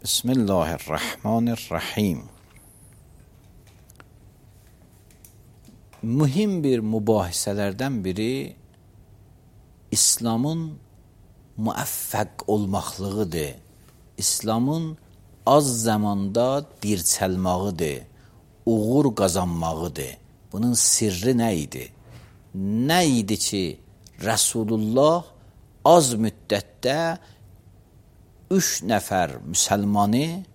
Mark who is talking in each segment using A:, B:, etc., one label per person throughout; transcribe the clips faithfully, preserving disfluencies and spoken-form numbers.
A: Bismillahirrahmanirrahim. Mühim bir mübahisələrdən biri İslamın müəffəq olmaqlığıdır. İslamın az zamanda dirçəlmağıdır, uğur qazanmağıdır. Bunun sirri nə idi? Nə idi ki, Rasulullah az müddətdə üç nəfər müsəlmanı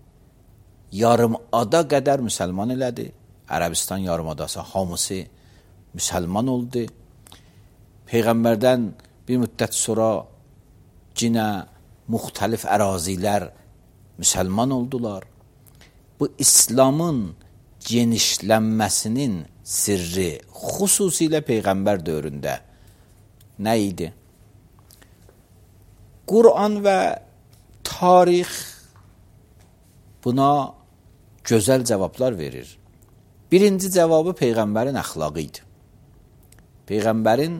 A: yarımada qədər müsəlman elədi. Ərəbistan yarımadası hamısı müsəlman oldu. Peyğəmbərdən bir müddət sonra cinə müxtəlif ərazilər müsəlman oldular. Bu İslamın genişlənməsinin sirri xüsusilə Peyğəmbər dövründə nə idi? Quran və tarix buna gözəl cavablar verir. Birinci cavabı Peyğəmbərin əxlaqı idi. Peyğəmbərin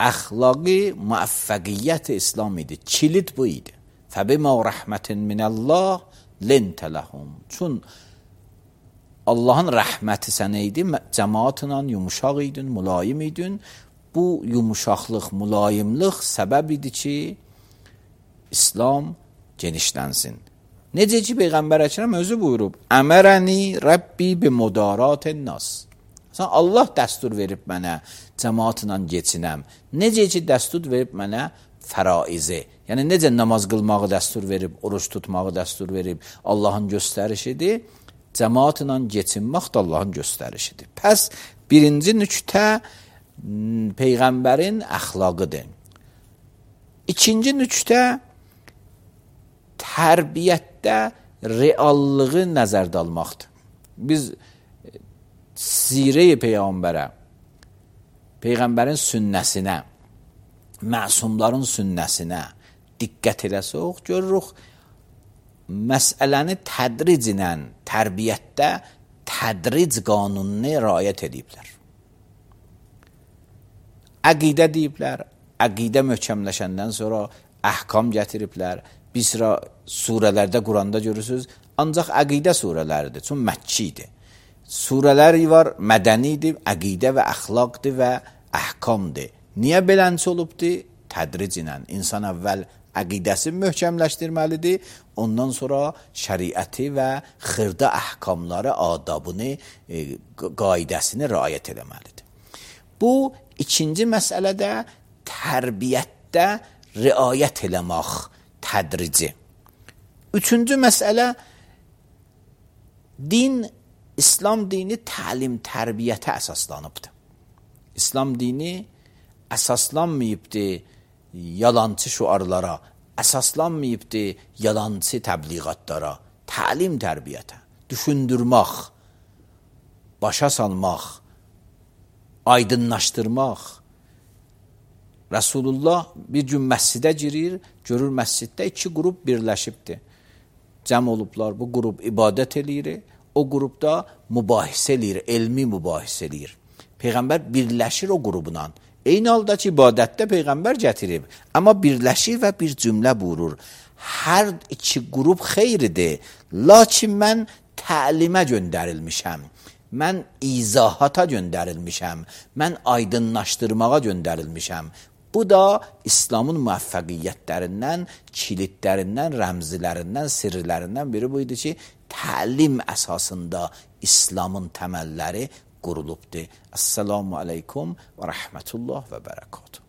A: əxlaqı müəffəqiyyət İslam idi. Kilit bu idi. Fəbimə rəhmətin minəllah lentə ləhum. Çün Allahın rəhməti sənə idi, cəmaatla yumuşaq idin, mülayim idin. Bu yumuşaqlıq, mülayimlik səbəb idi ki, İslam genişlənsin. Necə ki, Peyğəmbər Əkrəm özü buyurub, əmərəni Rəbbi bi mudaratən nas. Allah dəstur verib mənə cəmaatla geçinəm. Necə ki, dəstur verib mənə fəraizi. Yəni, necə namaz qılmağı dəstur verib, oruç tutmağı dəstur verib, Allahın göstərişidir. Cəmaatla geçinmək də Allahın göstərişidir. Pəs, birinci nüktə Peyğəmbərin əxlaqıdır. İkinci nüktə tərbiyyətdə reallığı nəzərdə almaqdır. Biz sirə-i Peyğəmbərə, Peyğəmbərin sünnəsinə, məsumların sünnəsinə diqqət eləsək, görürük, məsələni tədriclə tərbiyyətdə tədric qanununa riayət ediblər. Əqidə deyiblər, əqidə möhkəmləşəndən sonra əhkam gətiriblər. Bir sıra surələrdə, Quranda görürsünüz, ancaq əqidə surələridir, çünki Məkkidir. Surələri var, mədənidir, əqidə və əxlaqdır və əhkamdır. Niyə belənçi olubdur? Tədric ilə. İnsan əvvəl əqidəsini möhkəmləşdirməlidir, ondan sonra şəriəti və xırda əhkamları, adabını, e, qaidəsini riayət eləməlidir. Bu, ikinci məsələdə tərbiyyətdə riayət eləmək tədrici. Üçüncü məsələ, din, İslam dini təlim, tərbiyyətə əsaslanıbdır. İslam dini əsaslanmayıbdır yalancı şüarlara, əsaslanmayıbdır yalancı təbliğatlara, təlim, tərbiyyətə, düşündürmək, başa salmaq, aydınlaşdırmaq. Rasulullah bir gün məscidə girir, görür məsciddə iki qrup birləşibdir. Cəm olublar, bu qrup ibadət eləyir, o qrupda mübahisə eləyir, elmi mübahisə eləyir. Peyğəmbər birləşir o qrubla. Eyni halda ki, ibadətdə Peyğəmbər gətirib, amma birləşir və bir cümlə buyurur. Hər iki qrup xeyridir, lakin mən təlimə göndərilmişəm, mən izahata göndərilmişəm, mən aydınlaşdırmağa göndərilmişəm. Bu da İslamın müəffəqiyyətlərindən, kilidlərindən, rəmzilərindən, sirlərindən biri bu idi ki, təlim əsasında İslamın təməlləri qurulubdur. Əssalamu aleykum və rəhmətullah və bərəkatuhu.